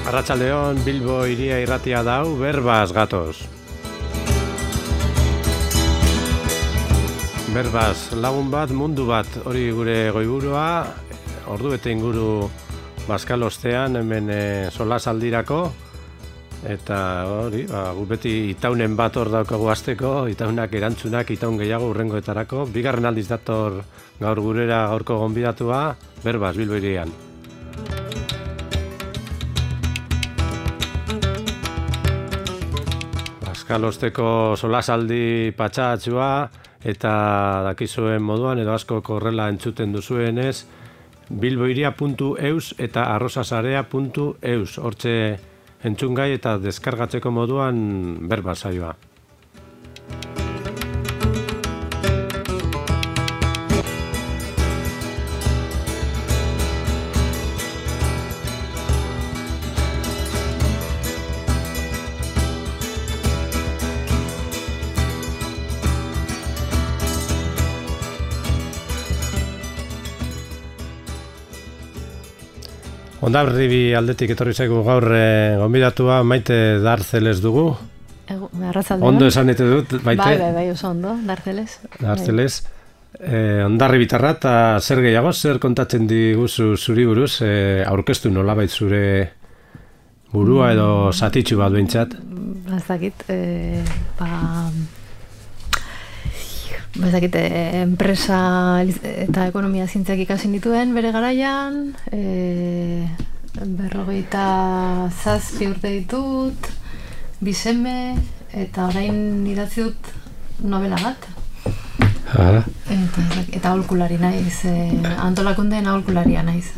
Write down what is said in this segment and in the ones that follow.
Arratsaldeon, Bilbo hiria irratia dau, berbaz gatoz. Berbaz, lagun bat, mundu bat, hori gure goiburua, ordu bete inguru Bazkal ostean, hemen solasaldirako, eta hori, gu beti itaunen bat hor daukagu hasteko, itaunak erantzunak, itaun gehiago urrengoetarako, bigarren aldiz dator gaur gurera gaurko gonbidatua, Berbaz, Bilbo hirian. Bazkalosteko solasaldi patxatsua eta dakizuen moduan edo asko korrela entzuten duzuenez bilbohiria.eus eta arrosasarea.eus hortxe entzungai eta deskargatzeko moduan Berbaz saioa. Hondarribi aldetik etorri zaigu gaur gonbidatua Maite Darzeles dugu. Arratsaldeon. Ondo esan ete dut, Maite? Bai, oso ondo, Darzeles. Darzeles. Hondarribitarra eta zer gehiago, zer kontatzen diguzu zuri buruz, aurkeztu nolabait zure burua edo zatitxu bat behintzat? Ez dakit, enpresa eta ekonomia zientziak ikasi nituen bere garaian, 27 urte ditut, 2 seme, eta orain idatzi dut novela bat. Eta aholkulari naiz, antolakundeen aholkularia naiz.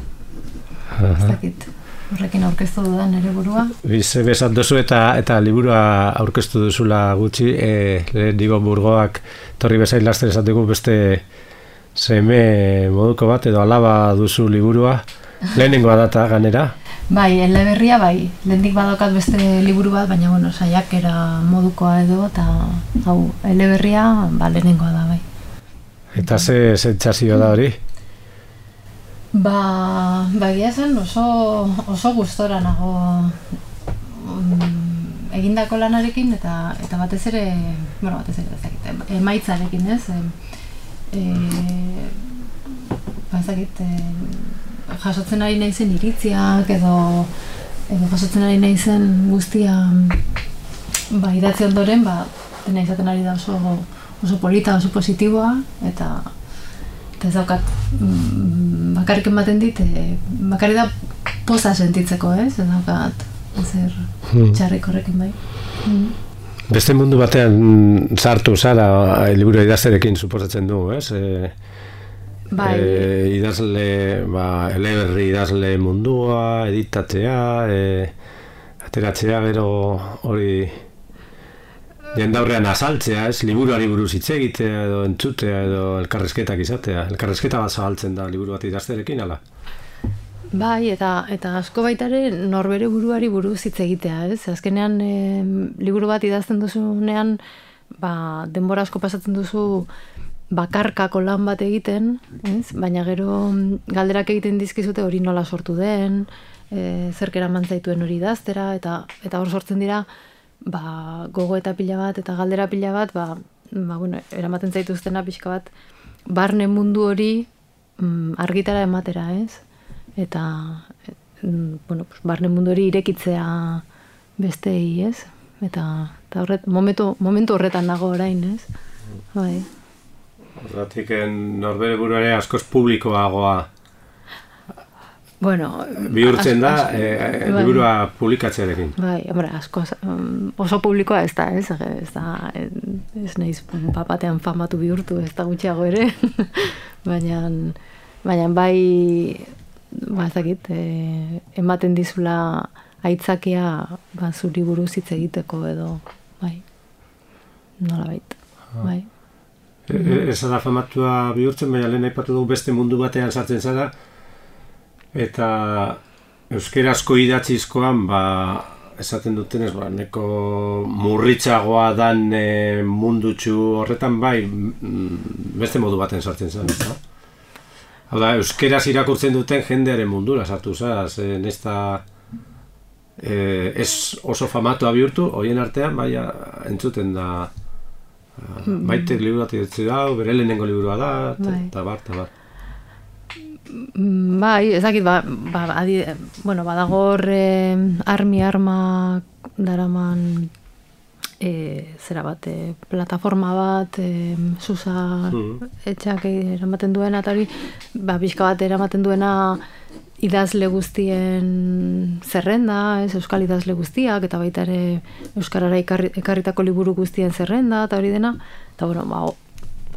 Ez dakit. Horrekin aurkeztu dudan ere burua. Bize bezat duzu eta liburua aurkeztu duzula gutxi, digo burgoak torri bezain laster esateko beste seme moduko bat edo alaba duzu liburua. Lehenengoa data ganera? Bai, eleberria bai. Lehendik badokat beste liburu bat, baina bueno, saiakera modukoa edo eta hau eleberria lehenengoa da bai. Eta ze sentsazio da hori? Egia zen oso gustora nago egindako lanarekin eta batez ere emaitzarekin, ez? Jasotzen ari naizen iritziak edo jasotzen ari naizen guztia idatzi ondoren, dena izaten ari da oso polita, oso positiboa eta ez daukat bakarrik ematen dit, bakarrik da poza sentitzeko, ez? Ez daukat zer txarrik horrekin bai. Beste mundu batean sartu zara liburu idazterekin suposatzen du, ez? Idazle, eleberri idazle mundua, editatzea, ateratzea, gero hori jendaurrean azaltzea, ez? Liburuari buruz hitz egitea edo entzutea edo elkarrizketak izatea. Elkarrizketa bat zabaltzen da liburu bat idazterekin, ala? Bai, eta asko baitare norbere buruari buruz hitz egitea, ez? Azkenean liburu bat idazten duzunean, denbora asko pasatzen duzu bakarkako lan bat egiten, ez? Baina gero galderak egiten dizkizute hori nola sortu den, zerk eraman zaituen hori idaztera, eta hor sortzen dira gogo eta pila bat eta galdera pila bat, eramaten zaituztena pixka bat barne mundu hori argitara ematera, ez? Eta barne mundu hori irekitzea bestei, ez? Eta momentu horretan nago orain, ez? Bai. Horretik norbere buruare askoz publikoagoa bihurtzen da liburua publikatzearekin. Bai, oso publikoa ez da, ez nahiz papatean famatu bihurtu, ez da gutxiago ere, baina bai, ezakit, ematen dizula aitzakia zuri buruz hitz egiteko edo, bai, nolabait, bai. Ez da famatua bihurtzen, baina lehen aipatu dugu beste mundu batean sartzen zara, eta euskerazko idatzizkoan, esaten dutenez, neko murritzagoa dan mundutxu horretan, bai, beste modu baten sartzen zen, ez da? Hau da, euskeraz irakurtzen duten jendearen mundura sartu zaz, nesta ez oso famatua bihurtu, horien artean, baina entzuten da Maitek liburu bat idatzi da, bere lehenengo liburua da, eta bar. Bai, ez dakit, badago hor armak daraman zera bat, plataforma bat, Susa etxak eramaten duena, eta hori, pixka bat eramaten duena idazle guztien zerrenda, euskal idazle guztiak, eta baita ere euskarara ekarritako liburu guztien zerrenda, eta hori dena, eta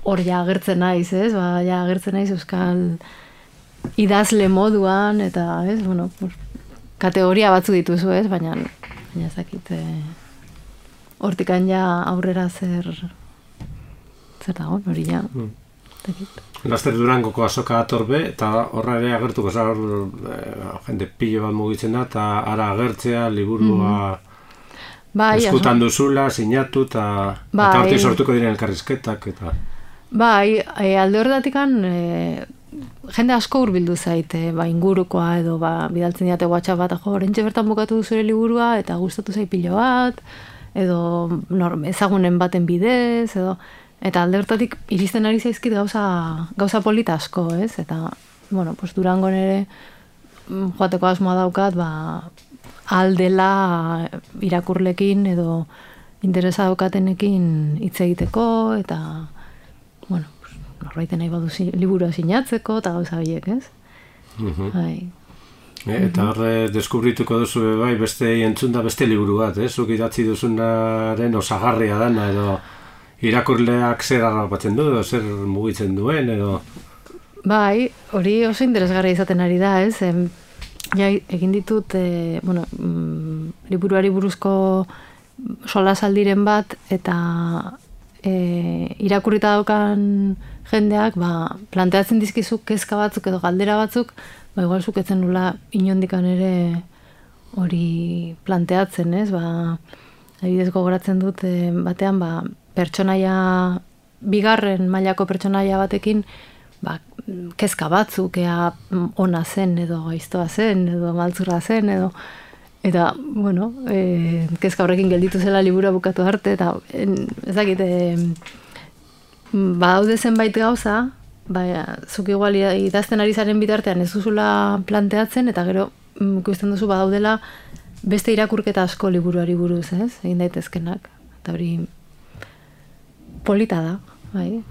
hor ja agertzen naiz, agertzen naiz euskal idazle moduan, eta kategoria batzu dituzu, baina ez dakit, hortikan ja aurrera zer dago, hori ja, Laster Durangoko azoka atorbe, eta horra ere agertuko jende pilo bat mugitzen da, eta ara agertzea, liburua eskutan duzula, sinatu, eta hortik sortuko diren elkarrizketak. Bai, alde horretatik jende asko hurbildu zaite, ingurukoa edo bidaltzen diate WhatsApp bat, orentxe bertan bukatu zure liburua, eta gustatu zait pilo bat, edo ezagunen baten bidez, edo eta alde hortatik iristen ari zaizkit gauza polita asko, Eta, Durangon ere joateko asmoa daukat, aldela irakurlekin edo interesa daukatenekin hitz egiteko, eta, norbaiten nahi badu liburua sinatzeko, eta gauza horiek, Eta horre deskubrituko duzu beste entzunda beste liburu bat, zuk idatzi duzunaren osagarria dana, edo irakurleak zer harrapatzen du, edo zer mugitzen duen, edo... Bai, hori oso interesgarria izaten ari da, egin ditut, liburuari buruzko solasaldiren bat, eta irakurrita daukan jendeak, planteatzen dizkizu kezka batzuk edo galdera batzuk, igual zuketzen nula inondikan ere hori planteatzen, adibidez gogoratzen dut batean, pertsonaia, bigarren mailako pertsonaia batekin, kezka batzuk, ea ona zen, edo gaiztoa zen, edo maltzurra zen, edo, eta, kezka horrekin gelditu zela liburua bukatu arte, eta ez dakit, badaude zenbait gauza, zuk igual idazten ari zaren bitartean ez duzula planteatzen, eta gero ikusten duzu badaudela beste irakurketa asko liburuari buruz, egin daitezkenak, eta hori polita da, bai.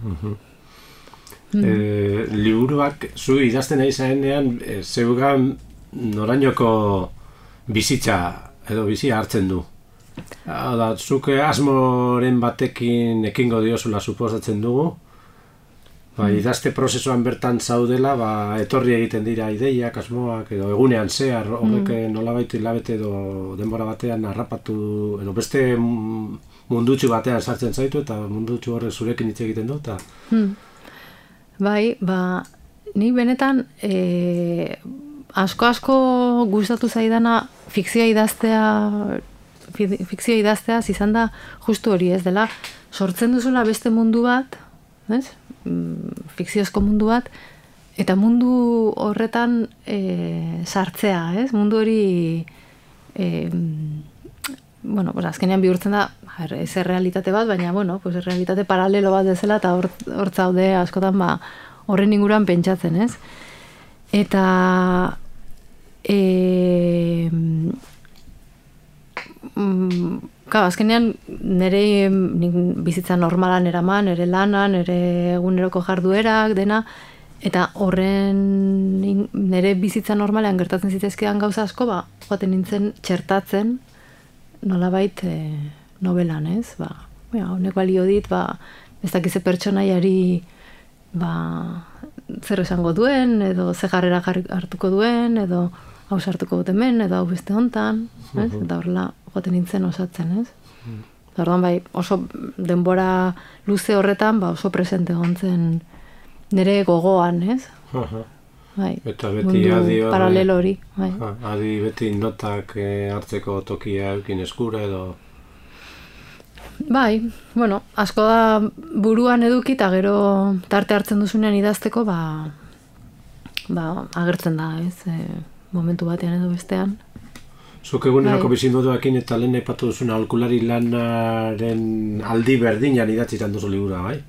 Liburuak zu idazten ari zarenean zeugan norainoko bizitza edo bizia hartzen du. Zuk asmoren batekin ekingo diozula suposatzen dugu, idazte prozesuan bertan zaudela, etorri egiten dira ideiak, asmoak, edo egunean zehar, horrek nolabait hilabete edo denbora batean harrapatu, edo beste mundutxu batean sartzen zaitu, eta mundutxu horrek zurekin hitz egiten du, eta... Bai, nik benetan asko gustatu zaidana fikzioa idaztea izan da justu hori, ez dela, sortzen duzula beste mundu bat, fikziozko mundu bat, eta mundu horretan sartzea, mundu hori azkenean bihurtzen da ez errealitate bat, baina errealitate paralelo bat dezela, eta hor zaude askotan horren inguruan pentsatzen, eta azkenean nire bizitza normalan eraman, nire lanan, nire eguneroko jarduerak, dena, eta horren nire bizitza normalean gertatzen zitezkean gauza asko, joaten nintzen txertatzen nolabait novelan, honek balio dit, ez dakize pertsonaiari zer esango duen, edo ze jarrera hartuko duen, edo hau sartuko dut hemen, edo hau beste hontan, eta horrela joaten nintzen osatzen, Eta orduan oso denbora luze horretan oso presente gontzen nire gogoan, Eta beti adi paralelo hori. Adi beti notak hartzeko tokia eukin eskura edo... Asko da buruan eduki eta gero tarte hartzen duzunean idazteko, agertzen da, momentu batean edo bestean. Zuk eguneroko bizimoduakin eta lehen aipatu duzun aholkulari lanaren aldi berdinan idatzitan duzu liburua, bai?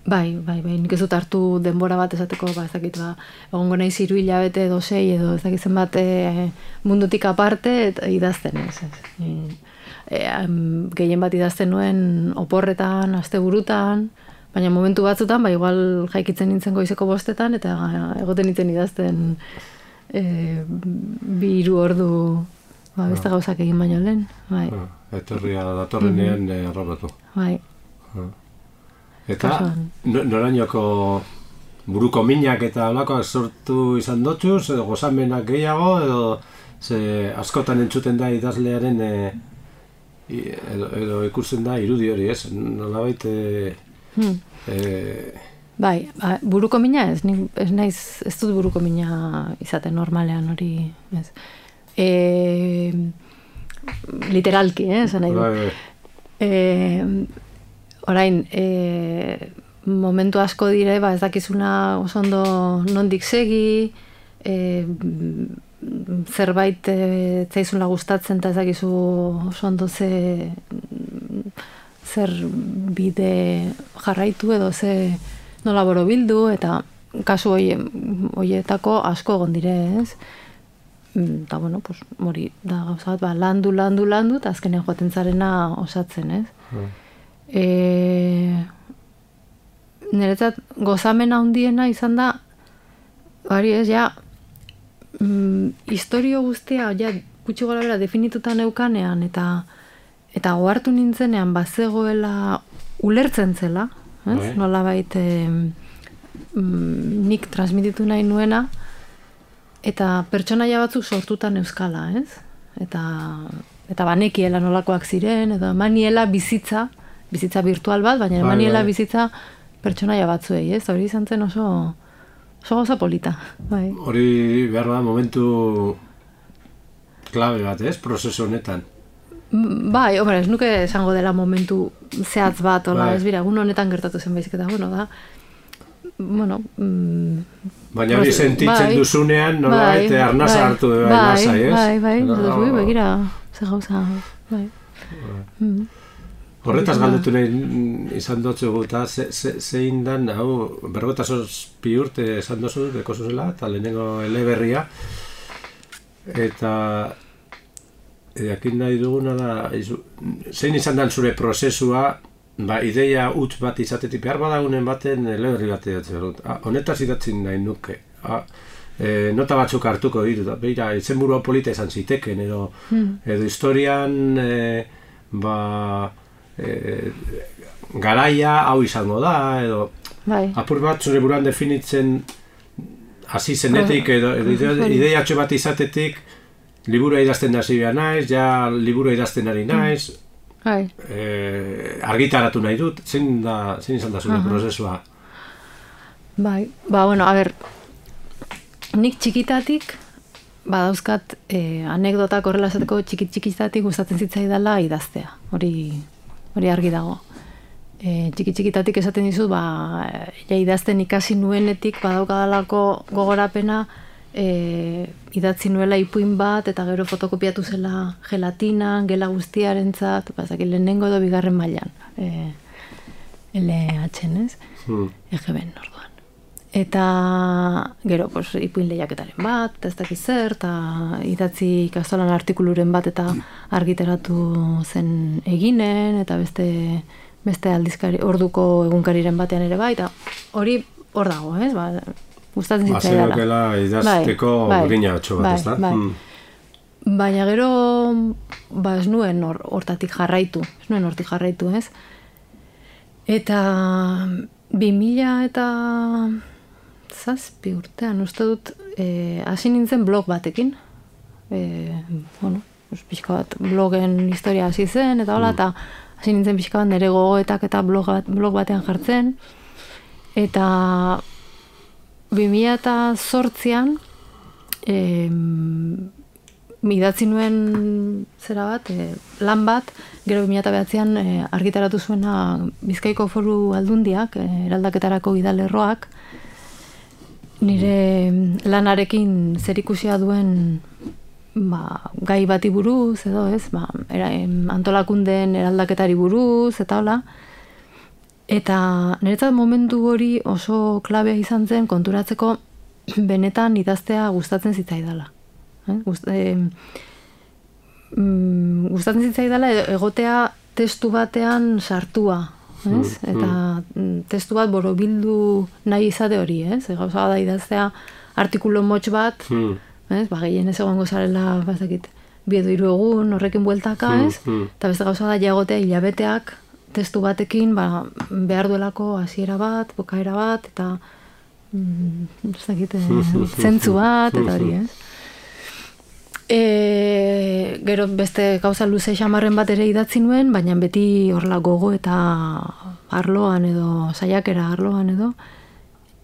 Bai, nik ez dut hartu denbora bat esateko, ez dakit, egongo naiz 3 hilabete edo 6 edo ez dakit zenbat mundutik aparte eta idazten ez. Gehien bat idazten nuen oporretan, asteburutan, baina momentu batzutan, igual jaikitzen nintzen goizeko 5 eta egoten nintzen idazten 2-3 ordu beste gauzak egin baino lehen. Etorria datorrenean arrobatu. Bai. Eta norainoko buruko minak eta holakoak sortu izan dotuz, edo gozamenak gehiago, edo askotan entzuten da idazlearen edo ikusten da irudi hori, ez? Nolabait bai, buruko mina ez dut buruko mina izaten normalean hori, ez. Literalki, esan nahi du. Orain, momentu asko dire, ez dakizuna oso ondo nondik segi, zerbait zaizula gustatzen eta ez dakizu oso ondo zer bide jarraitu edo nola borobildu, eta kasu horietako asko egon dire, ez? Eta, bueno, hori da gauza bat, landu, eta azkenean joaten zarena osatzen, ez? Niretzat gozamena handiena izan da bari ez, historio guztia gutxi gora bera definituta neukanean eta ohartu nintzenean bazegoela ulertzen zela, ez? Nolabait nik transmititu nahi nuena eta pertsonaia batzuk sortutan euskala, ez? Eta banekiela nolakoak ziren, edo maniela bizitza virtual bat, baina maniela bizitza pertsonaia batzuei, ez? Hori izan zen oso gauza polita. Hori behar da momentu klabe bat, ez? Prozesu honetan. Bai, ez nuke esango dela momentu zehatz bat, ez bira, egun honetan gertatu zen baizik eta, baina hori sentitzen duzunean, nolabait, arnasa hartu nasa, ez? Bai, begira, ze gauza, bai. Horretaz galdetu nahi izan dutzu eta zein dan, 57 urte esan duzu, beko zuzela, eta lehenengo eleberria, eta jakin nahi duguna da, zein izan dan zure prozesua, ideia huts bat izatetik behar badagunen baten eleberri bat idatzen dut. Honetaz idatzen nahi nuke. Nota batzuk hartuko ditut, beira, izenburua polita izan ziteken, edo historian, garaia hau izango da, edo apur bat zure buruan definitzen hasi zenetik, edo ideiatxo bat izatetik liburua idazten hasi behar naiz, liburua idazten ari naiz, argitaratu nahi dut, zein izan da zure prozesua? Bai, nik txikitatik badauzkat anekdotak horrela esateko txikitatik gustatzen zitzaidala idaztea, hori argi dago. Txikitatik esaten dizut, idazten ikasi nuenetik badaukadalako gogorapena idatzi nuela ipuin bat eta gero fotokopiatu zela gelatinan, gela guztiarentzat, lehenengo edo 2. mailan LH-en, ez? EGB-en orduan. Eta gero ipuin lehiaketaren bat, eta ez dakiz zer, eta idatzi ikastolan artikuluren bat eta argitaratu zen eginen, eta beste aldizkari, orduko egunkariren batean ere bai, eta hori hor dago, ez? Gustatzen zitzaidala. Bazenokela idazteko grina batxo bat, ez da? Baina gero, ez nuen hortik jarraitu, ez? Eta 2007 urtean, uste dut, hasi nintzen blog batekin. Pixka bat blogen historia hasi zen, eta hola, eta hasi nintzen pixka bat nire gogoetak eta blog batean jartzen. Eta 2008an idatzi nuen zera bat, lan bat, gero 2009an argitaratu zuena Bizkaiko Foru Aldundiak, eraldaketarako gidalerroak, nire lanarekin zerikusia duen gai bati buruz, edo ez, antolakundeen eraldaketari buruz, eta hola. Eta niretzat momentu hori oso klabea izan zen konturatzeko benetan idaztea gustatzen zitzaidala. Gustatzen zitzaidala egotea testu batean sartua, ez? Eta testu bat borobildu nahi izate hori, ez? Gauza da idaztea artikulu motx bat, ez? Gehien ez egongo zarela, bazakit, 2 edo 3 egun horrekin bueltaka, ez? Eta beste gauza da jagotea hilabeteak testu batekin behar duelako hasiera bat, bukaera bat, eta zentzu bat, eta hori, ez? Gero beste gauza luze xamarren bat ere idatzi nuen, baina beti horrela gogo eta arloan edo, saiakera arloan edo,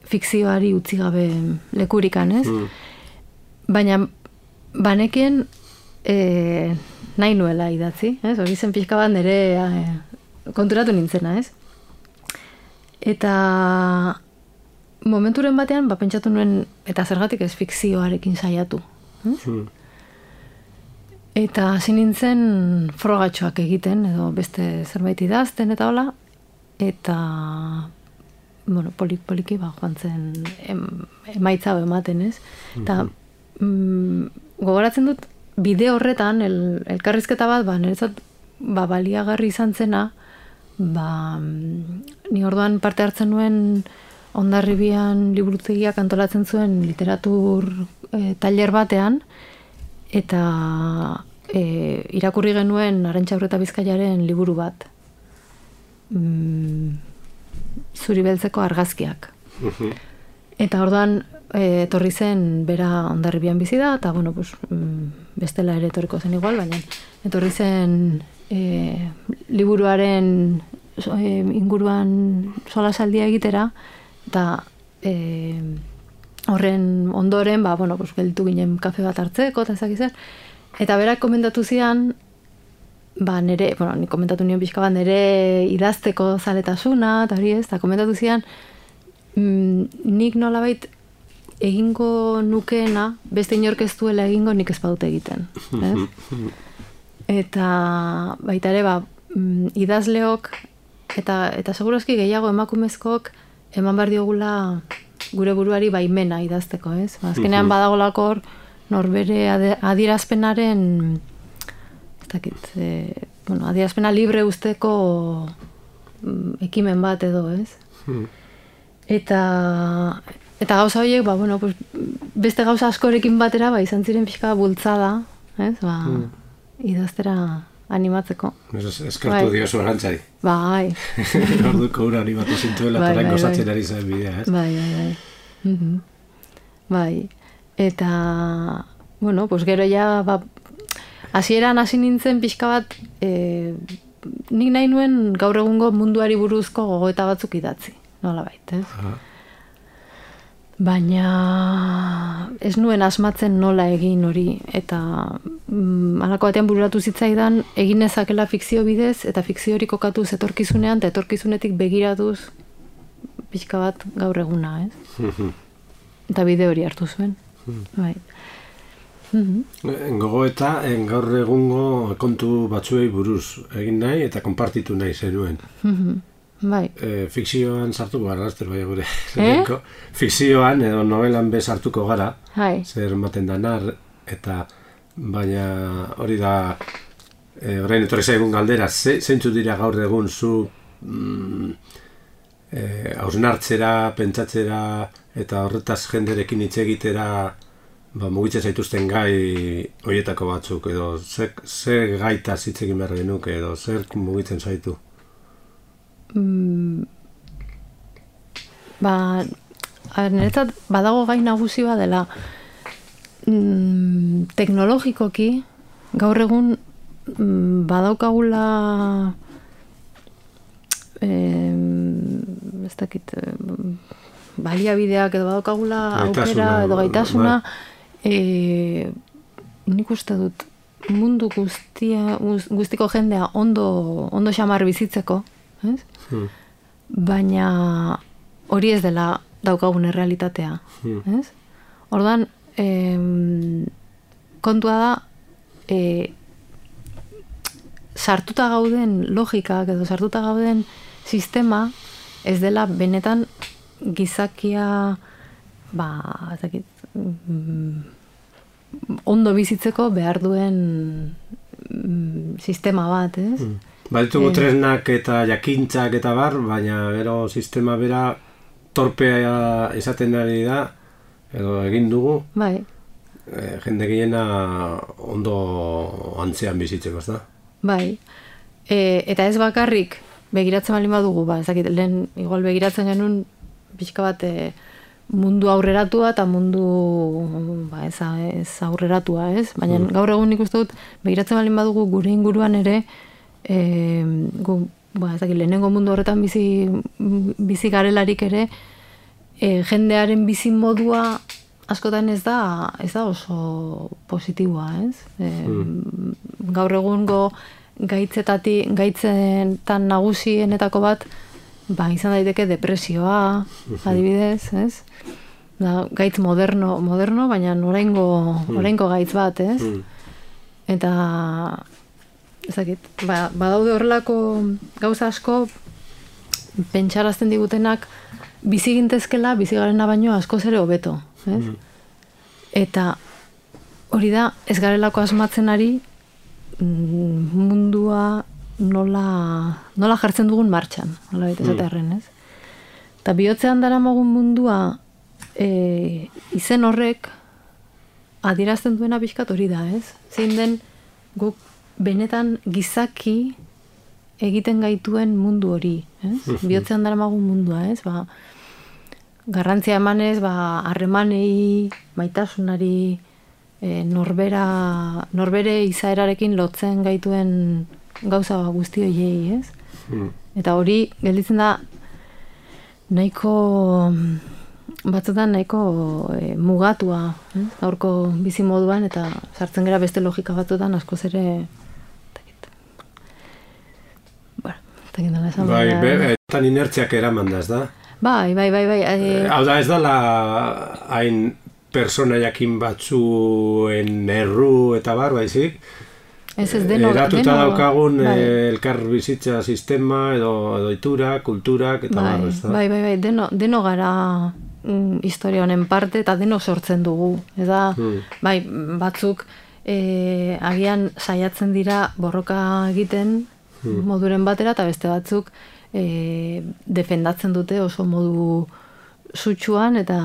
fikzioari utzi gabe lekurikan, ez? Baina banekien nahi nuela idatzi, ez? Hori zen pixka bat nire konturatu nintzena, ez? Eta momenturen batean, pentsatu nuen, eta zergatik ez fikzioarekin saiatu, ez? Eta hasi nintzen frogatxoak egiten, edo beste zerbait idazten, eta hola, eta poliki joan zen emaitza ematen, ez? Eta gogoratzen dut, bide horretan, elkarrizketa bat, niretzat baliagarri izan zena, ni orduan parte hartzen nuen Hondarribian liburutegiak antolatzen zuen literatur tailer batean, eta irakurri genuen Arantxa Urreta Bizkaiaren liburu bat. Zuri beltzeko argazkiak. Eta orduan etorri zen bera Hondarribian bizi da, eta bestela ere etorriko zen igual, baina etorri zen liburuaren inguruan solasaldia egitera, eta horren ondoren, gelditu ginen kafe bat hartzeko, eta ezak izan. Eta berak komentatu zian, nire, nik komentatu nion pixka bat, nire idazteko zaletasuna, eta hori ez, eta komentatu zian, nik nolabait egingo nukeena, beste inork ez duela egingo nik ez badute egiten. Eta baita ere, idazleok, eta segurazki gehiago emakumezkook, eman behar diogula gure buruari baimena idazteko, ez? Azkenean badagolako hor, norbere adierazpenaren, adierazpena libre usteko ekimen bat edo, ez? Eta gauza horiek, beste gauza askorekin batera, izan ziren pixka bultzada, ez? Idaztera animatzeko. Eskartu diozu Arantzari. Bai. Orduko ura animatu zintuela, eta orain gozatzen ari zen bidea, ez? Bai. Eta, gero ja, hasieran hasi nintzen pixka bat, nik nahi nuen gaur egungo munduari buruzko gogoeta batzuk idatzi, nolabait, ez? Baina ez nuen asmatzen nola egin hori, eta halako batean bururatu zitzaidan egin nezakela fikzio bidez, eta fikzio hori kokatuz etorkizunean, eta etorkizunetik begiratuz pixka bat gaur eguna, ez? Eta bide hori hartu zuen. Bai. Gogoeta, gaur egungo kontu batzuei buruz egin nahi, eta konpartitu nahi zenuen. Bai. Fikzioan sartuko gara, bai gure. Fikzioan edo novelan bez hartuko gara, zer ematen danar, eta baina hori da, orain etorri zaigun galdera, zeintzu dira gaur egun zu hausnartzera, pentsatzera, eta horretaz jenderekin hitz egitera mugitzen zaituzten gai horietako batzuk, edo zer gaitaz hitz egin behar genuke, edo zer mugitzen zaitu? Niretzat badago gai nagusi bat dela teknologikoki gaur egun badaukagula ez dakit baliabideak edo badaukagula aukera edo gaitasuna nik uste dut mundu guztiko jendea ondo xamar bizitzeko, ez? Baina hori ez dela daukagun errealitatea, ez? Orduan, kontua da, sartuta gauden logikak edo sartuta gauden sistema ez dela benetan gizakia ondo bizitzeko behar duen sistema bat, ez? Baditugu tresnak eta jakintzak eta bar, baina gero sistema bera torpea izaten ari da, edo egin dugu, bai. Jende gehiena ondo antzean bizitzeko, ez da? Bai, eta ez bakarrik begiratzen baldin badugu, lehen igual begiratzen genuen pixka bat mundu aurreratua eta mundu ez aurreratua, ez? Baina gaur egun nik uste dut begiratzen baldin badugu gure inguruan ere lehenengo mundu horretan bizi garelarik ere jendearen bizi modua askotan ez da oso positiboa, ez? Gaur egungo gaitzetan nagusienetako bat izan daiteke depresioa, adibidez, ez? Gaitz moderno, baina oraingo gaitz bat, ez? Eta badaude horrelako gauza asko pentsarazten digutenak bizi gintezkela, bizi garena baino askoz ere hobeto, ez? Eta hori da, ez garelako asmatzen ari mundua nola jartzen dugun martxan, nola baita esatearren, ez? Eta bihotzean daramagun mundua izen horrek adierazten duena pixkat hori da, ez? Zein den guk benetan gizaki egiten gaituen mundu hori, ez? Bihotzean daramagun mundua, ez? Garrantzia emanez, harremanei, maitasunari, norbere izaerarekin lotzen gaituen gauza guzti horiei, ez? Eta hori gelditzen da batzutan nahiko mugatua, gaurko bizi moduan, eta sartzen gara beste logika batzutan askoz ere Tan inertziak eraman da, ez da? Bai. Hau da, ez dala hain persona jakin batzuen erru eta bar, baizik? Eratuta daukagun elkar bizitza sistema edo itura, kulturak eta bar, ez da? Bai, deno gara historia honen parte eta deno sortzen dugu. Eta, batzuk agian saiatzen dira borroka egiten moduren batera, eta beste batzuk defendatzen dute oso modu sutsuan, eta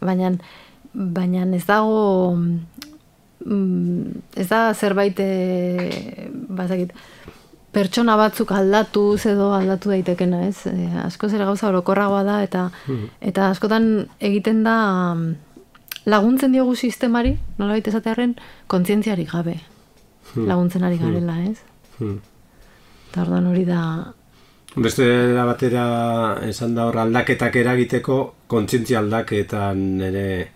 baina ez dago ez da zerbait pertsona batzuk aldatuz edo aldatu daitekena, ez? Askoz ere gauza orokorragoa da, eta askotan egiten da laguntzen diogu sistemari, nolabait esatearren, kontzientziarik gabe laguntzen ari garela, ez? Eta orduan hori da... Beste batera esan da hor aldaketak eragiteko, kontzientzia aldaketan ere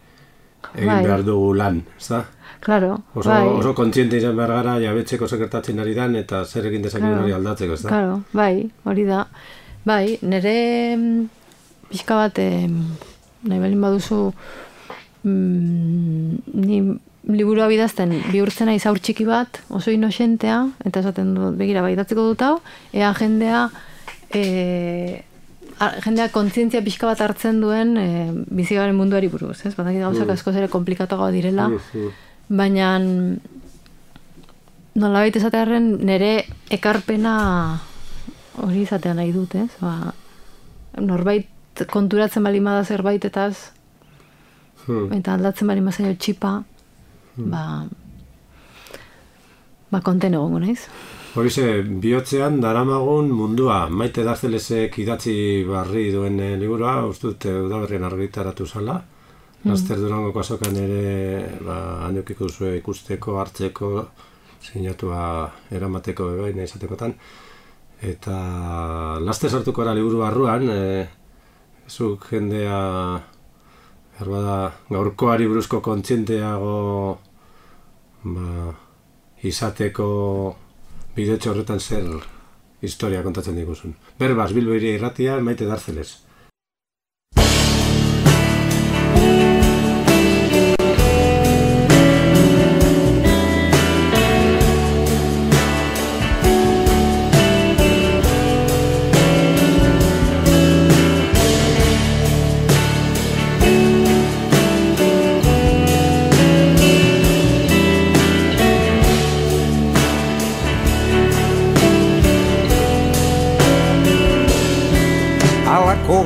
egin behar dugu lan, ez da? Claro, oso kontziente izan behar gara jabetzeko sekertatzen ari dan, eta zer egin dezakegun hori aldatzeko, ez da? Claro, hori da. Nire pixka bat, nahi balin baduzu, ni liburua bidazten bihurtzena izaur txiki bat, oso inoxentea, eta esaten dut, begira, idatziko dut hau, ea jendea kontzientzia pixka bat hartzen duen bizigaren munduari buruz, ez? Batak gauzak askoz ere komplikatuagoa direla, baina nolabait esatearren nire ekarpena hori izatea nahi dut, ez? Norbait konturatzen bali bada zerbaitetaz eta aldatzen bali mazaio txipa, konten egongo naiz. Horize, bihotzean daramagun mundua, Maite Darzelesek idatzi barri duen liburua, uste dut udaberrien argitaratu zala, Laster Durangoko azokan ere handiokiko zuen ikusteko, hartzeko, sinatua eramateko bebaina izatekotan, eta laster sartuko ara liburu barruan, zuk jendea gaurkoari buruzko kontzienteago izateko bidetxo horretan zer historia kontatzen diguzun. Berbaz, Bilbo Hiria Irratia, Maite Darzeles.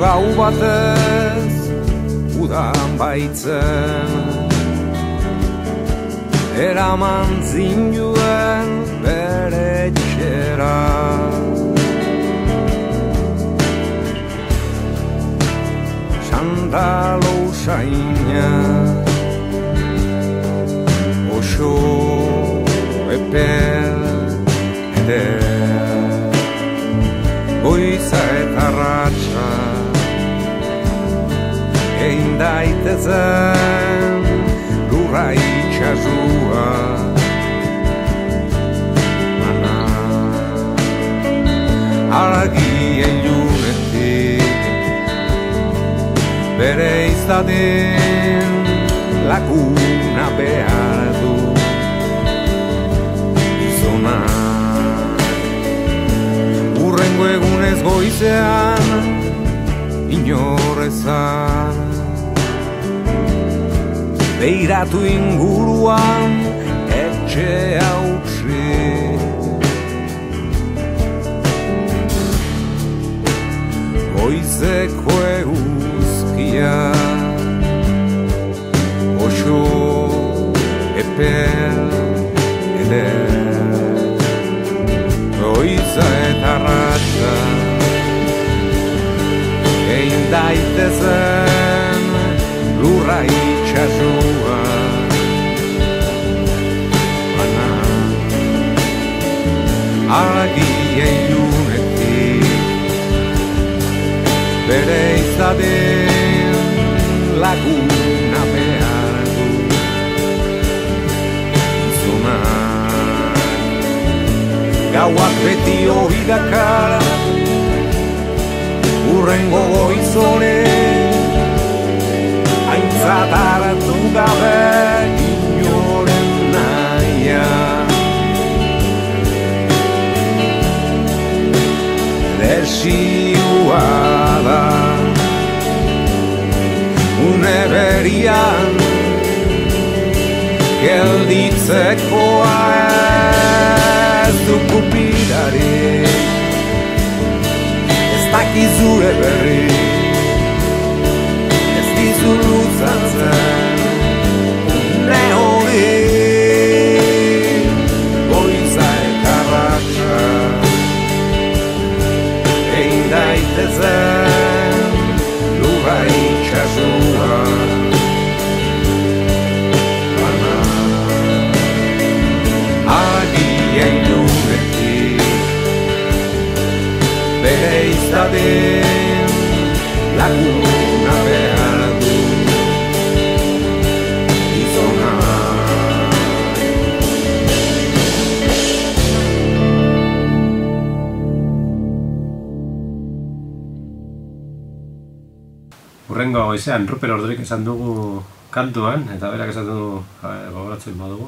gau batez udan baitzen, eraman zinuen bere etxera. Sandalo usaina oso epel goiza eta ratxa egin daitezen lurra itxasua. Mana argi ilunetik bere izaten laguna behar du gizona. Urrengo egunez goizean inorezan beiratu inguruan etxe hautsi. Goizeko eguzkia oso epel goiza eta ratxa egin daitezen lurra itxasua. Baina argi ilunetik bere izaten laguna behar du gizonak. Gauak beti hori dakar urrengo goizone aintzat hartu gabe inoren naia. Desioa da une berian gelditzekoa ez du kupidarik, ez dakizure berri, ez dizu luzatzen une hori goiza eta ratxa egin daitezen lurra itxasua. Baina argi ilunetik bere izaten laguna behar du gizona. Urrengo goizean Ruper Ordorik esan dugu kantuan, eta berak esan dugu gogoratzen badugu,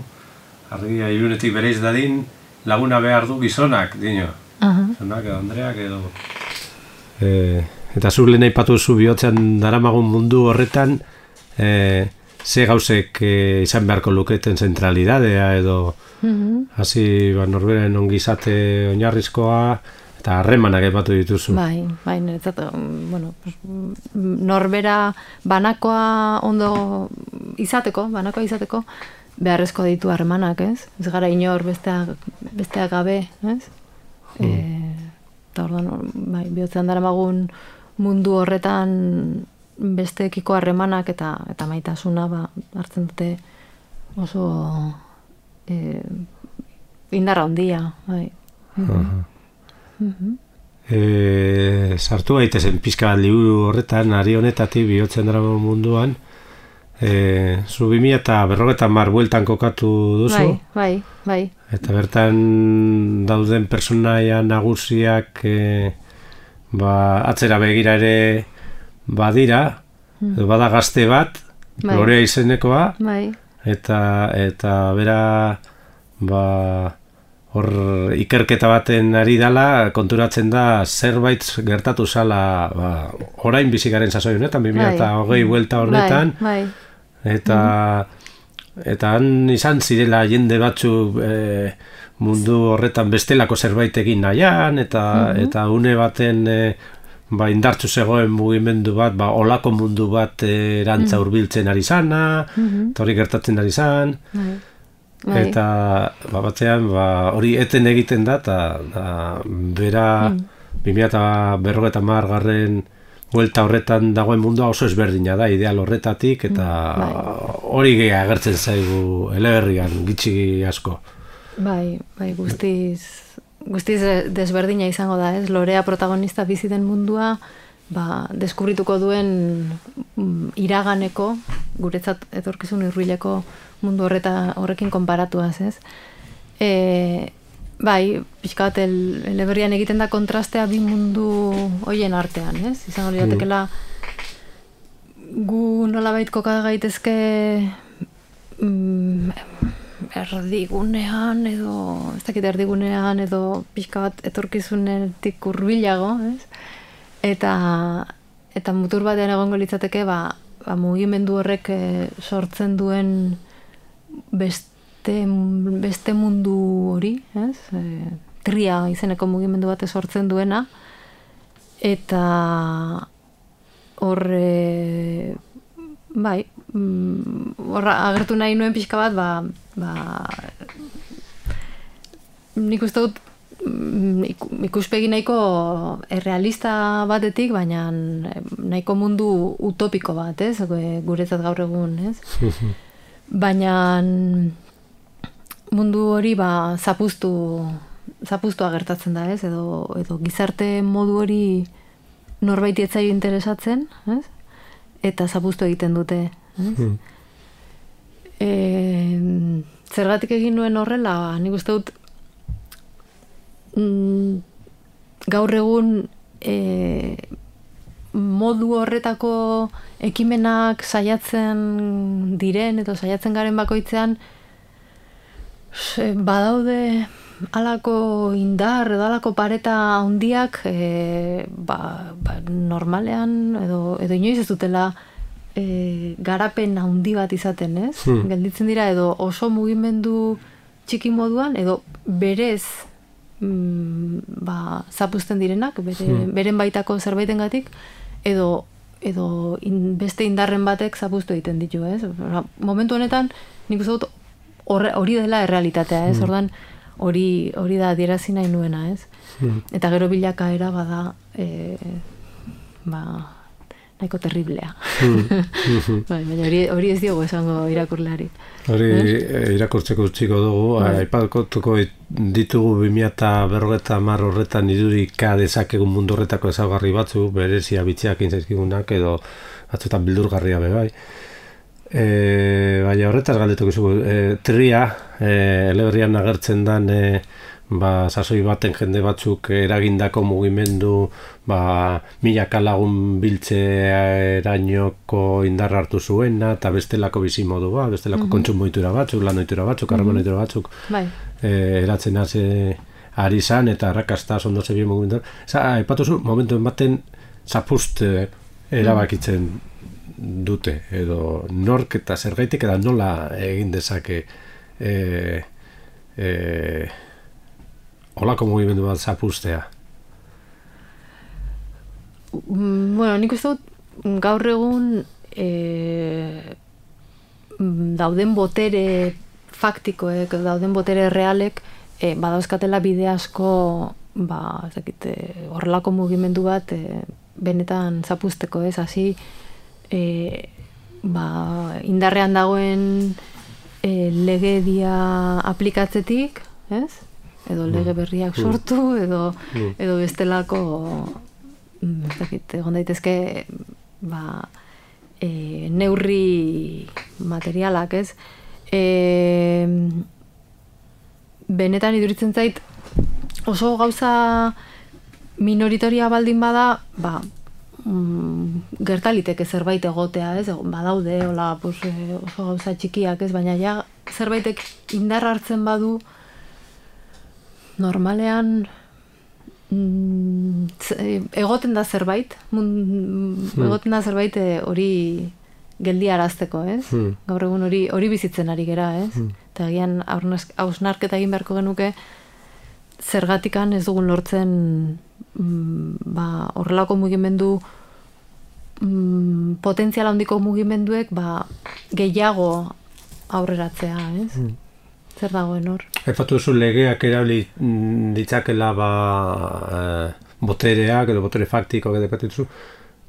argia ilunetik bereiz dadin laguna behar du gizonak, dino. Gizonak edo Andreak edo... Eta zu lehen aipatu zu bihotzean daramagun mundu horretan, ze gauzek izan beharko luketen zentralidadea edo hasi norberen ongizate oinarrizkoa eta harremanak aipatu dituzu. Bai, niretzat, bueno, norbera banakoa ondo izateko, beharrezko ditu harremanak, ez? Ez gara inor besteak gabe, ez? Eta orduan, bai, bihotzean daramagun mundu horretan besteekiko harremanak eta maitasuna hartzen dute oso indarra handia, bai. Sartu gaitezen pixka bat liburu horretan, ari honetatik bihotzen dara munduan, zu 2050 bueltan kokatu duzu. Bai. Eta bertan dauden personaia nagusiak atzera begira ere badira, bada gazte bat, Gloria izenekoa, eta bera hor ikerketa baten ari dala, konturatzen da zerbait gertatu zala orain bizikaren sasoi honetan, 2020 buelta horretan, eta han izan zirela jende batzuk mundu horretan bestelako zerbait egin nahian, eta une baten indartzu zegoen mugimendu bat, olako mundu bat erantza hurbiltzen ari zana, eta hori gertatzen ari zan, eta batzean hori eten egiten da, eta bera 2050 buelta horretan dagoen mundua oso ezberdina da, ideal horretatik, eta hori gehi agertzen zaigu eleberrian, gitxi asko. Bai, guztiz desberdina izango da, ez? Lorea protagonista bizi den mundua, deskubrituko duen iraganeko, guretzat etorkizun hurbileko mundu horrekin konparatuaz, ez? Bai, pixka bat eleberrian egiten da kontrastea bi mundu hoien artean, ez? Izango liratekela gu nolabait koka gaitezke erdigunean edo pixka bat etorkizunetik hurbilago, ez? Eta mutur batean egongo litzateke mugimendu horrek sortzen duen beste mundu hori, ez? Tria izeneko mugimendu bat sortzen duena, eta horre agertu nahi nuen pixka bat, nik uste dut ikuspegi nahiko errealista batetik, baina nahiko mundu utopiko bat, ez? Guretzat gaur egun, ez? Baina mundu hori zapuztu agertatzen da, ez? Edo gizarte modu hori norbaiti ez zaio interesatzen, ez? Eta zapuztu egiten dute, ez? Zergatik egin nuen horrela, nik uste dut gaur egun modu horretako ekimenak saiatzen diren edo saiatzen garen bakoitzean badaude halako indar edo halako pareta handiak normalean edo inoiz ez dutela garapen handi bat izaten, ez? Gelditzen dira edo oso mugimendu txiki moduan edo berez zapuzten direnak, beren baitako zerbaitengatik edo beste indarren batek zapuztu egiten ditu, ez? Momentu honetan nik uste dut hori dela errealitatea, ez? Ordan hori da adierazi nahi nuena, ez? Eta gero bilakaera bada nahiko terriblea. Baina hori ez diogu esango irakurleari. Hori irakurtzeko utziko dugu, aipatuko ditugu 2050 horretan idurika dezakegun mundu horretako ezaugarri batzu, berezia bitziak intzaizkigunak edo batzuetan bildurgarria bebai. Baina horretaz galdetuko zugu, tria, eleberrian agertzen dan sasoi baten jende batzuk eragindako mugimendu milaka lagun biltzerainoko indarra hartu zuena eta bestelako bizimodua, bestelako kontsumoitura batzuk, lanoitura batzuk, harremanoitura batzuk eratzen ari zan eta arrakasta ondo zebien mugimendu. Aipatuzu, momentu baten zapust erabakitzen dute edo nork eta zergaitik eta nola egin dezake holako mugimendu bat zapustea? Bueno, nik uste dut gaur egun dauden botere faktikoek, dauden botere realek badauzkatela bide asko horrelako mugimendu bat benetan zapusteko, ez? Hasi indarrean dagoen legedia aplikatzetik, ez? Edo lege berriak sortu, edo bestelako egon daitezke neurri materialak, ez? Benetan iduritzen zait oso gauza minoritoria baldin bada, gertaliteke zerbait egotea, ez? Badaude, oso gauza txikiak, ez? Baina ja zerbaitek indar hartzen badu normalean egoten da zerbait hori geldiarazteko, ez? Gaur egun hori bizitzen ari gera, ez? Eta agian hausnarketa egin beharko genuke zergatikan ez dugun lortzen horrelako mugimendu potentzial handiko mugimenduek gehiago aurreratzea, ez? Zer dagoen hor? Aipatu duzu legeak erabili ditzakela botereak edo botere faktikoak edo duzu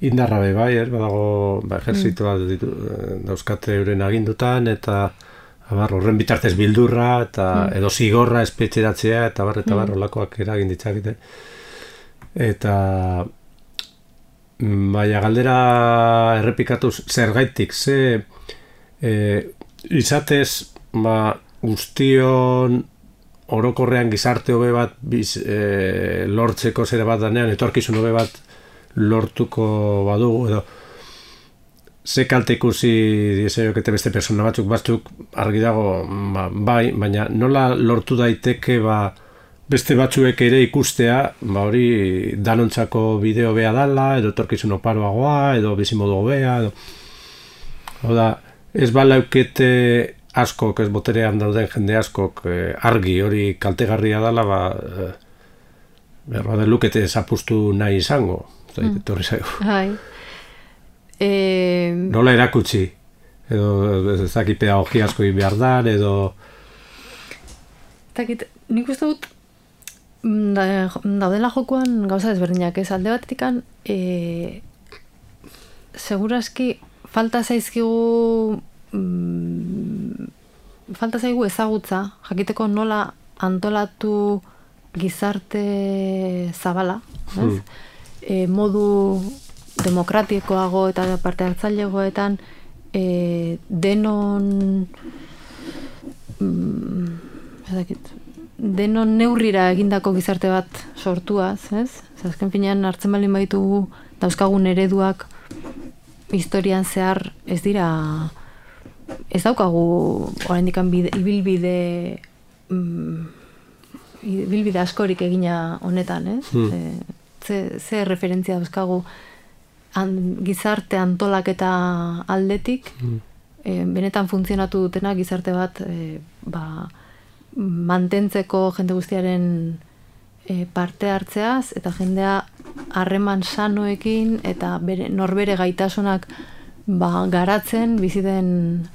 indarra bai, badago ejerzitoa dauzkate euren agindutan eta horren bitartez bildurra eta edo zigorra espetxeratzea eta olakoak eragin ditzakete. Eta baina galdera errepikatuz zergaitik, izatez guztion orokorrean gizarte hobe bat lortzeko zere bat danean, etorkizun hobe bat lortuko badugu, edo ze kalte ikusi diezaiokete beste persona batzuk argi dago, bai, baina nola lortu daiteke beste batzuek ere ikustea, hori danontzako bideo bea dala, edo etorkizun oparoagoa, edo bizimodu hobea, edo ez balaukete askok, ez boterean dauden jende askok argi hori kaltegarria dala, behar bada lukete zapustu nahi izango, etorri zaigu. Nola erakutsi, edo ez dakit pedagogia asko behar dar, edo... Nik uste dut daudela jokoan gauza desberdinak, ez alde batetikan seguraski falta zaigu ezagutza, jakiteko nola antolatu gizarte zabala, modu demokratikoago eta parte hartzailegoetan denon neurrira egindako gizarte bat sortuaz, ez? Azken finean hartzen baldin baitugu dauzkagun ereduak historian zehar ez dira, ez daukagu oraindik ibilbide askorik egina honetan, ez? Ze referentzia dauzkagu gizarte antolaketa aldetik, benetan funtzionatu dutena gizarte bat mantentzeko jende guztiaren parte hartzeaz, eta jendea harreman sanoekin eta norbere gaitasunak garatzen biziden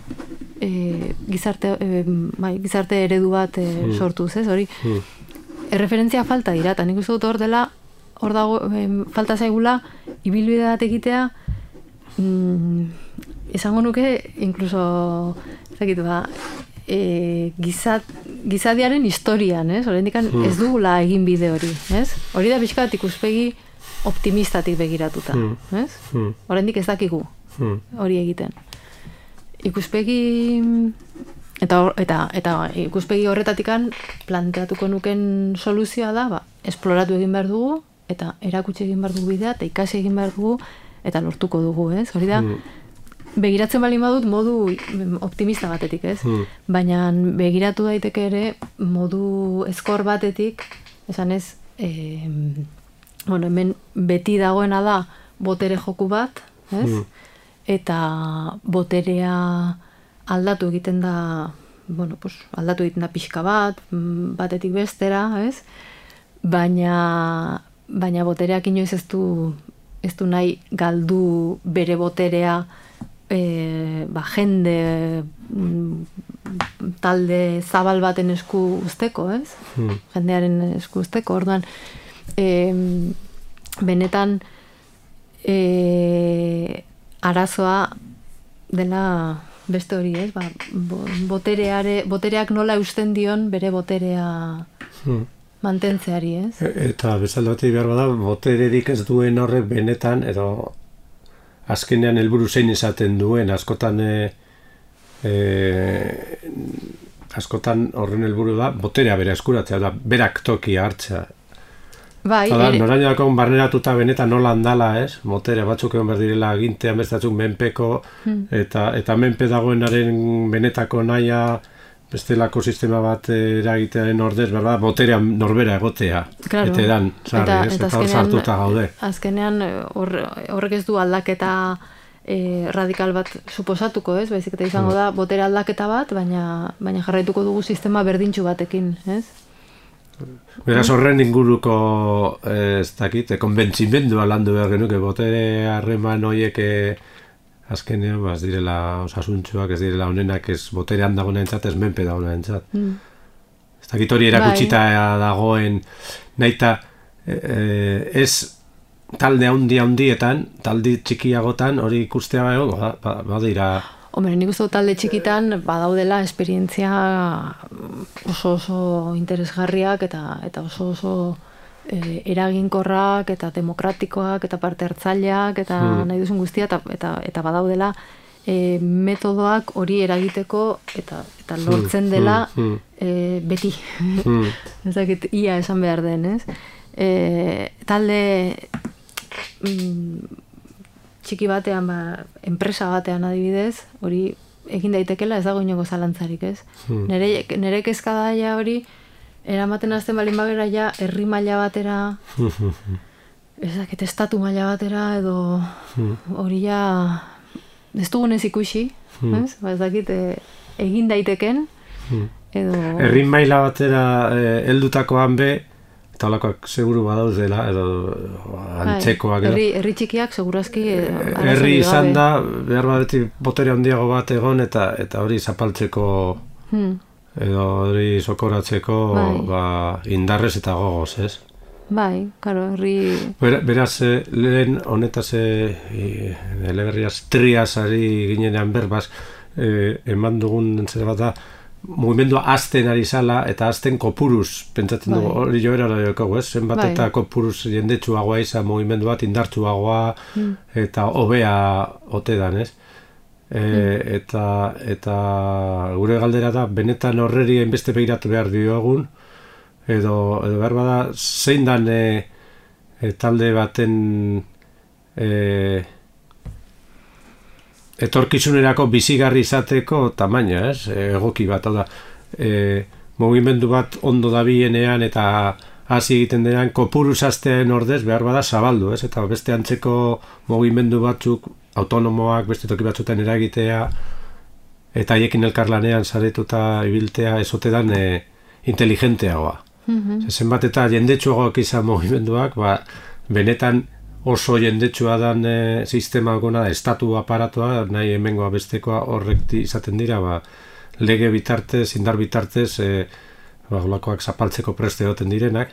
gizarte eredu bat sortuz, ez? Hori, erreferentzia falta dira, eta nik uste dut hor dela, hor dago, falta zaigula, ibilbide bat egitea, esango nuke, inkluso, ezakitu gizadiaren historian, ez? Oraindik ez dugula egin bide hori, ez? Hori da pixka bat ikuspegi optimistatik begiratuta, ez? Oraindik ez dakigu hori egiten. Ikuspegi eta ikuspegi horretatikan planteatuko nuken soluzioa da, esploratu egin behar dugu, eta erakutsi egin behar dugu bidea, eta ikasi egin behar dugu, eta lortuko dugu, ez? Hori da, begiratzen baldin badut modu optimista batetik, ez? Baina begiratu daiteke ere modu ezkor batetik, esan ez, hemen beti dagoena da botere joku bat, ez? Eta boterea aldatu egiten da, aldatu egiten da pixka bat, batetik bestera, ez? Baina botereak inoiz ez du nahi galdu bere boterea jende talde zabal baten esku usteko, ez? Jendearen esku usteko, orduan benetan arazoa dela beste hori, ez? Botereak nola eusten dion bere boterea mantentzeari, ez? Eta bezalde batetik behar bada, botererik ez duen horrek benetan, edo azkenean helburu zein izaten duen, askotan horren helburu da, boterea bere eskuratzea, da, berak tokia hartzea. Noraino dakon barneratuta benetan nola handala, ez? Boterea batzuk egon behar direla agintean bestatzuk menpeko, eta menpe dagoenaren benetako nahia, bestelako sistema bat eragitearen ordez, berda, boterean norbera egotea. Eta edan, sarri, eta hor sartuta gaude. Azkenean horrek ez du aldaketa radikal bat suposatuko, ez? Baizik eta izango da botere aldaketa bat, baina jarraituko dugu sistema berdintxu batekin, ez? Beraz, horren inguruko, ez dakit, konbentzimendua landu behar genuke, botere harreman horiek azkenean, ez direla osasuntxuak, ez direla honenak, ez boterean dagoena entzat, ez menpe dagoena entzat. Ez dakit hori erakutsita dagoen, nahita, ez talde handietan, talde txikiagotan, hori ikustea badira. Hombre, nik uste talde txikitan badaudela esperientzia oso interesgarriak eta oso eraginkorrak eta demokratikoak eta parte hartzaileak eta nahi duzun guztia eta badaudela metodoak hori eragiteko eta lortzen dela beti. Ez dakit ia esan behar den, ez? Talde txiki batean, enpresa batean adibidez, hori egin daitekela ez dago inoko zalantzarik, ez? Nere kezka daia hori, eramaten azten balin bagera ja, herri maila batera, ez dakit, estatu maila batera, edo hori ja, ez dugunez ikusi, ez? Ez dakit, egin daiteken, edo... Herri maila batera heldutakoan be, eta holakoak seguru badaudela, edo antzekoak. Herri txikiak segurazki herri izan da, behar badeti botere handiago bat egon, eta hori zapaltzeko, edo hori sokoratzeko indarrez eta gogoz, ez? Bai, karo, herri... Beraz, lehen honetaz eleberriaz triazari ginenean berbaz, eman dugun zer bat da, mugimendua azten ari zala eta azten kopuruz, pentsatzen dugu, hori joera daiokago, ez? Zenbat eta kopuruz jendetsuagoa izan mugimendu bat indartsuagoa eta hobea ote dan, ez? Eta gure galdera da, benetan horreri hainbeste begiratu behar diogun, edo behar bada, zein dan talde baten etorkizunerako bizigarri izateko tamaina, ez? Egoki bat, hau da, mugimendu bat ondo dabienean eta hasi egiten denean kopuruz aztean ordez behar bada zabaldu, ez? Eta beste antzeko mugimendu batzuk autonomoak beste toki batzutan eragitea eta haiekin elkarlanean saretuta ibiltea ezote dan inteligenteagoa. Zenbat eta jendetsuagoak izan mugimenduak, benetan oso jendetsua dan sistema gona, estatu aparatoa, nahi hemengoa bestekoa horrek izaten dira, lege bitartez, indar bitartez, golakoak zapaltzeko preste egoten direnak.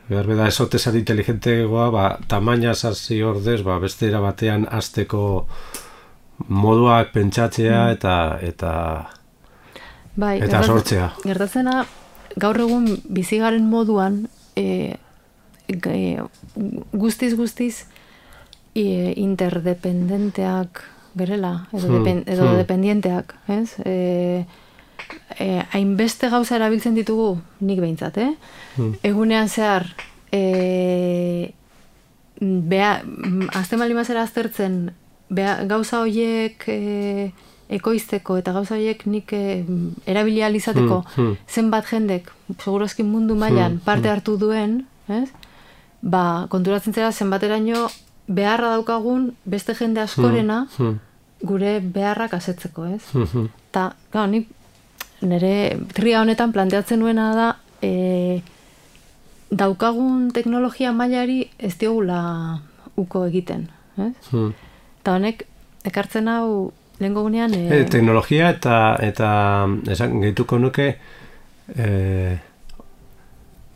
Behar beda esotezan inteligentegoa, tamaina zazi ordez, beste era batean azteko moduak pentsatzea eta sortzea. Gertatzena, gaur egun bizigaren moduan, guztiz interdependenteak gerela, edo dependienteak, ez? Hainbeste gauza erabiltzen ditugu, nik behintzat, egunean zehar, azten bali mazera aztertzen, gauza horiek ekoizteko eta gauza horiek nik erabilializateko zenbat jendek, segurazki mundu mailan parte hartu duen, ez? Konturatzen zera zenbateraino beharra daukagun beste jende askorena gure beharrak asetzeko, ez? Eta, nik nire tria honetan planteatzen nuena da daukagun teknologia mailari ez diogula uko egiten, ez? Eta honek, ekartzen hau lehenko gunean... Teknologia eta esan gehituko nuke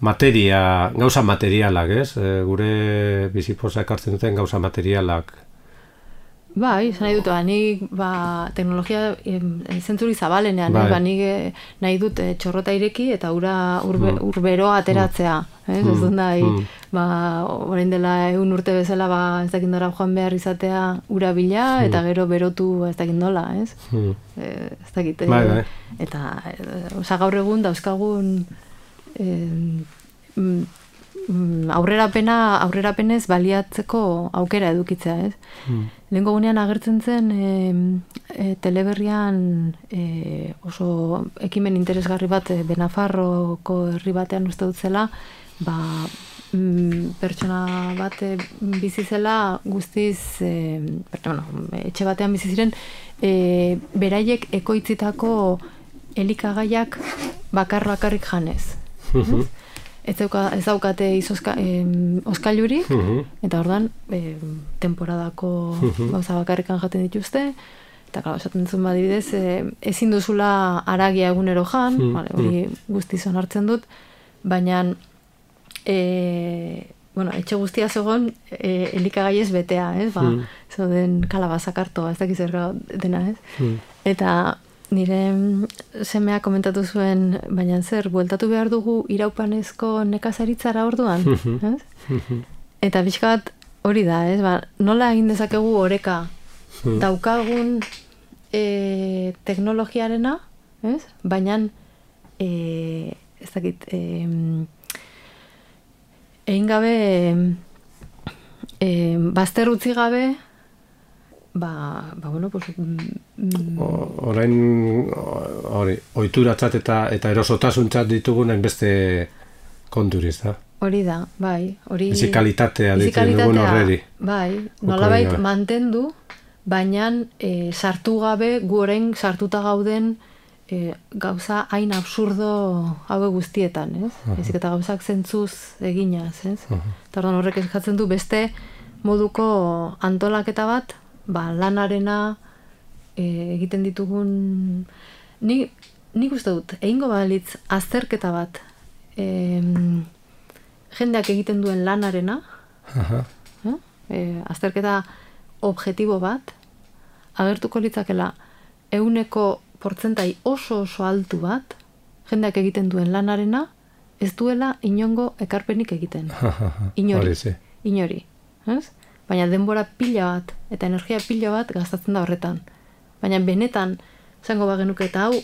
gauza materialak, ez? Gure bizipoza ekartzen duten gauza materialak. Bai, nahi dut, nik teknologia zentzuri zabalenean, nik nahi dut txorrota ireki eta urberoa ateratzea. Ez dut nahi, orain dela 1 urte bezala ez dakindora joan behar izatea ura bila eta gero berotu ez dakindola, ez? Ez dakit. Eta gaur egun dauzkagun aurrerapenez baliatzeko aukera edukitzea, ez? Lehenko gunean agertzen zen teleberrian oso ekimen interesgarri bat Benafarroko herri batean uste dut zela, pertsona bat bizi zela guztiz etxe batean bizi ziren beraiek ekoitzitako elikagaiak bakarrik janez. ez daukate oskailurik, eta ordan temporadako gauza bakarrikan jaten dituzte, eta claro, esaten duzun badibidez, ezin duzula haragia egunero jan, hori guztiz onartzen dut, baina etxe guztia zegoen elikagaiez betea, ez? Zoden kalabazak hartoa, ez dakiz erra dena, ez? Eta nire semea komentatu zuen, baina zer, bueltatu behar dugu iraupanezko nekazaritzara orduan, ez? Eta pixka bat hori da, ez? Nola egin dezakegu oreka daukagun teknologiarena, ez? Baina ez dakit egin gabe bazter utzi gabe bueno, pues orain ohituratzat eta erosotasuntzat ditugunen beste konturiz, da? Hori da, bai. Bizi kalitatea ditzen dugun horreri. Bai, nolabait mantendu, baina sartu gabe, gu orain sartuta gauden gauza hain absurdo haue guztietan, ez? Ezik eta gauzak zentzuz eginaz, ez? Eta orduan horrek eskatzen du beste moduko antolaketa bat, lanarena egiten ditugun... Nik uste dut, egingo balitz azterketa bat jendeak egiten duen lanarena, azterketa objektibo bat, agertuko litzakela 100% oso altu bat, jendeak egiten duen lanarena, ez duela inongo ekarpenik egiten. Inori. Baina denbora pila bat, eta energia pila bat gastatzen da horretan. Baina benetan, zango bagenuke eta hau,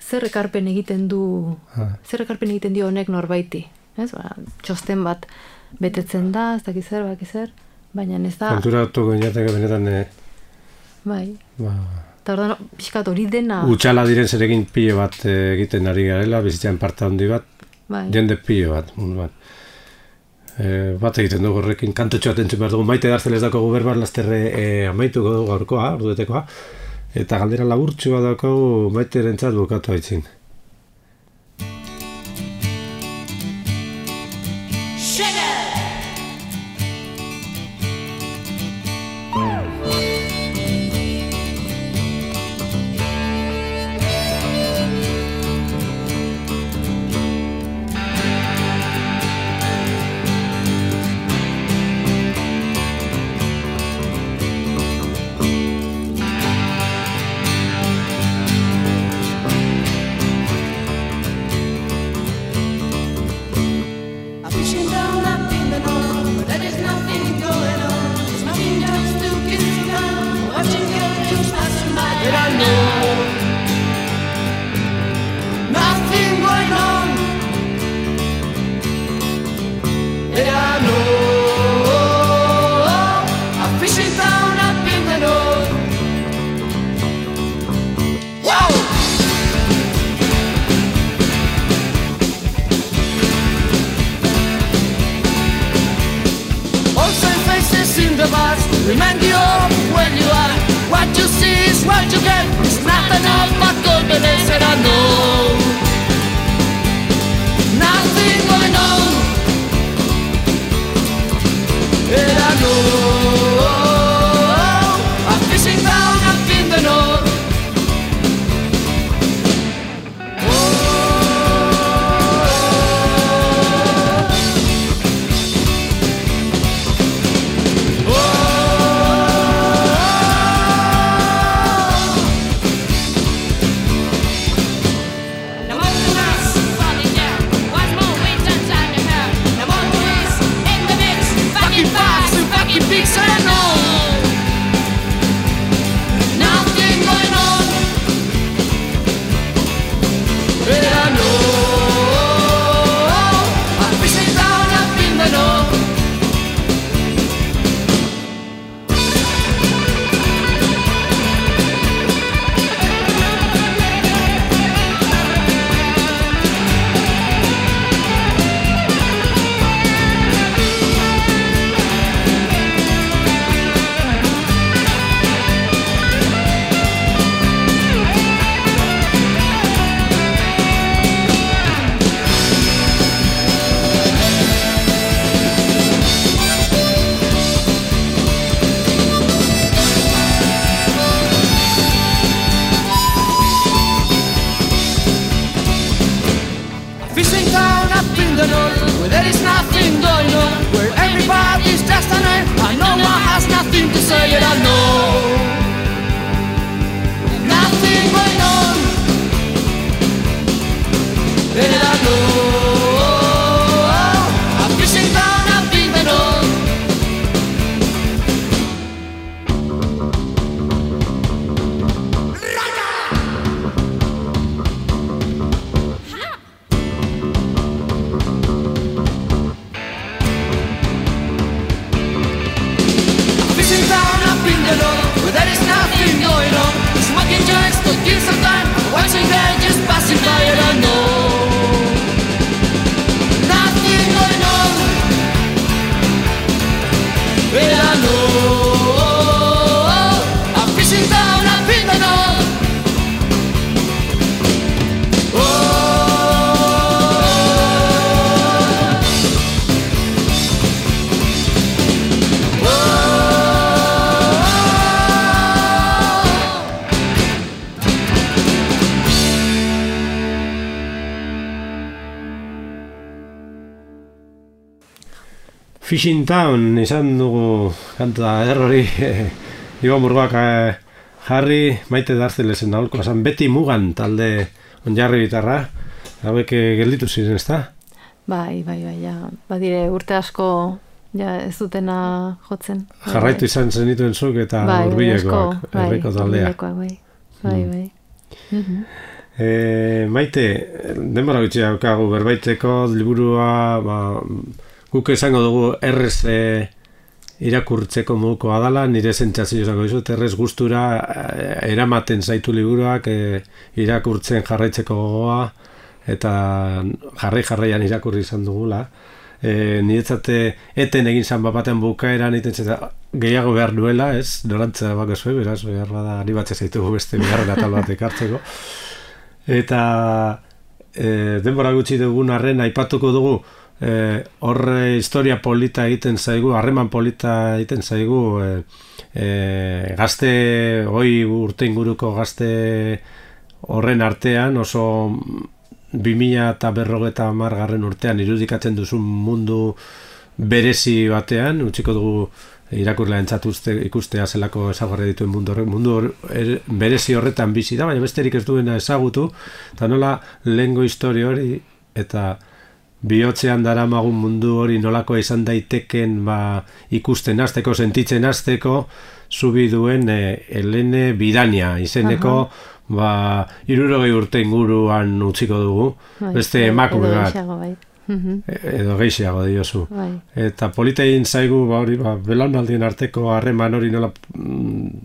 zer ekarpen egiten dio honek norbaiti. Txosten bat betetzen da, ez dakiz zer, baina ez da... Konturatu goinateke benetan... Bai. Eta ordan, pixkat hori dena... Utxala diren zerekin pilo bat egiten ari garela, bizitzan parte handi bat, jende pilo bat, mundu bat. Bat egiten dugu horrekin, kantotxo bat entzun behar dugu, Maite Darzelez dako guberbar lasterre amaituko dugu gaurkoa, orduetekoa, eta galdera laburtxua dako Maite erentzat bukatu haitzin. Remind you of where you are. What you see is what you get. It's not enough but confidence, and I know nothing going on. And I know I'm fishing down up in the north. Now fishing town up in the north, where there is nothing going on, where everybody's just an air, and no one has nothing to say, and I know nothing going on, and I know a fishing town up in the north. Where there is nothing going on, smoking joints to kill some time, watching them just passing by, and I know nothing going on, and I know I'm fishing down up in the north. Fishing Town izan dugu kanta errori Iba Murgoak jarri, Maite Darzelesen aholkoa zan, beti mugan talde onjarri bitarra, hauek gelditu ziren, ezta? Bai, ja, badire urte asko ja ez dutena jotzen. Jarraitu izan zenituen zuk eta Hurbilekoak, herriko taldea. Bai. Maite, denbora gutxi daukagu berbaiteko liburua, guk esango dugu errez irakurtzeko modukoa dela, nire sentsazio izango dizut, errez gustura eramaten zaitu liburuak irakurtzen jarraitzeko gogoa, eta jarraian irakurri izan dugula. Niretzate eten egin zan bapaten bukaeran gehiago behar duela, ez? Norantza bako zuen, beraz, behar bada animatzen zaitugu beste bigarren atal bat ekartzeko. Eta denbora gutxi dugun arren aipatuko dugu, horre historia polita egiten zaigu, harreman polita egiten zaigu, gazte, hoi urte inguruko gazte horren artean, oso 2050 urtean irudikatzen duzun mundu berezi batean, utziko dugu irakurlea entzatu ikustea zelako ezagarri dituen mundu berezi horretan bizi da, baina besterik ez duena ezagutu, eta nola lehengo historia hori, eta bihotzean daramagun mundu hori nolakoa izan daiteken ikusten hasteko, sentitzen hasteko, zubi duen Helene Bidania izeneko 60 urte inguruan utziko dugu, beste emakume bat. Edo gehiago diozu. Eta polita egin zaigu belaunaldien arteko harreman hori nola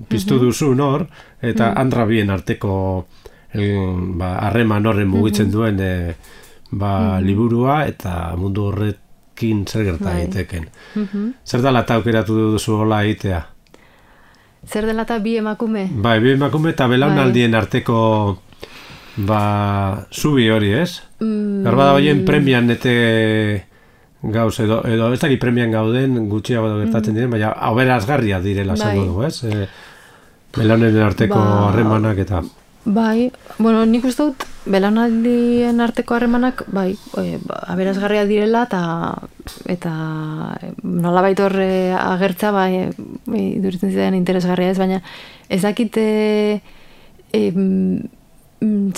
piztu duzun hor, eta Andra bien arteko harreman horren mugitzen duen liburua eta mundu horrekin zer gerta egiteken. Zer dela eta aukeratu duzu hola egitea? Zer dela eta bi emakume? Bai, bi emakume eta belaunaldien arteko zubi hori, ez? Garbada hoien premian nete gauz, edo ez dakit premian gauden gutxiago gertatzen diren, baina aberazgarria direla zango dugu, ez? Belaunen arteko harremanak eta... Bai, bueno, nik uste dut belaunaldien arteko harremanak aberazgarria direla eta nolabait horre agertza iduritzen zidan interesgarria ez, baina ez dakit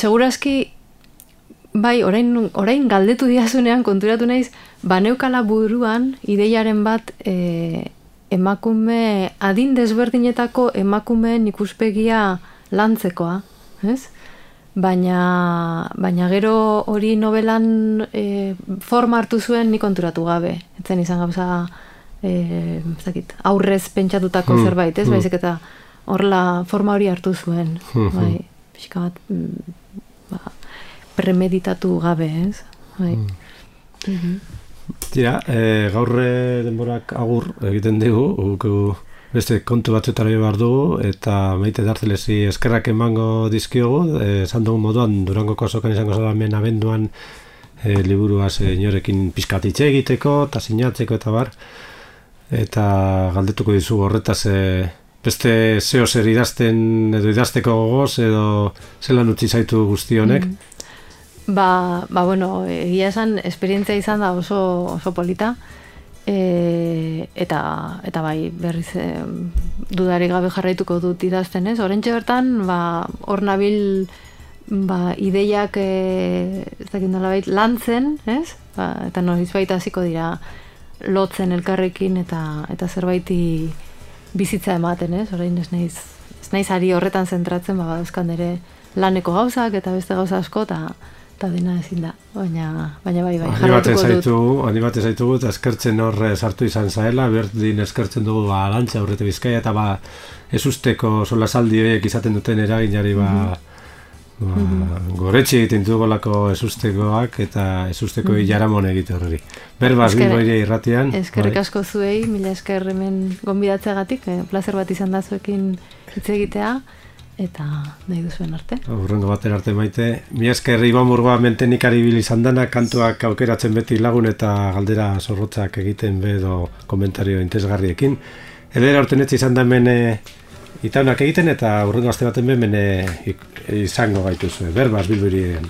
segurazki bai, orain galdetu diazunean konturatu naiz, baneukala buruan ideiaren bat emakume, adin desberdinetako emakumeen ikuspegia lantzekoa, ez? Baina gero hori novelan forma hartu zuen nik konturatu gabe. Etzen izan gauza aurrez pentsatutako zerbait, ez? Baizik eta horla forma hori hartu zuen. Bai, pixka bat premeditatu gabe, ez? Bai. Tira, gaur denborak agur egiten dugu, beste kontu batzuetara behar dugu, eta Maite Darzelesi eskerrak emango dizkiogu, esan dugu moduan Durangoko azokan izango zara hemen abenduan liburua inorekin pizkatitxe egiteko, eta sinatzeko eta bar, eta galdetuko dizu horretaz beste zeo zer idazten edo idazteko gogoz, edo zelan utzi zaitu guzti honek? Bueno, egia esan, esperientzia izan da oso polita, eta bai, berriz dudarik gabe jarraituko dut idazten, ez? Orentxe bertan, hor nabil ideiak ez dakit nolabait lantzen, ez? Eta noizbait hasiko dira lotzen elkarrekin eta zerbaiti bizitza ematen, ez? Orain ez naiz ari horretan zentratzen, badauzkan ere laneko gauzak eta beste gauza asko eta dena ezin da, baina bai, jarratuko dut. Animatzen zaitugu, eta eskertzen hor sartu izan zaela, berdin eskertzen dugu Arantxa Urrete Bizkaia, eta ezusteko solasaldi horiek izaten duten eraginari goretxe egiten dugolako ezustekoak, eta ezusteko jaramon egite horreri. Berbaz, Bilboire irratian. Eskerrik asko zuei, mila esker hemen gonbidatzeagatik, plazer bat izan da zuekin hitz egitea, eta nahi duzuen arte. Urrengo batera arte Maite. Mila esker Iban Murgoa mentenik ari bil izan dana, kantuak aukeratzen beti lagun eta galdera zorrotzak egiten edo komentario interesgarriekin. Edera ortenetxe izan da hemen itaunak egiten, eta urrengo aste baten hemen izango gaituzue. Berbaz, Bilboirien.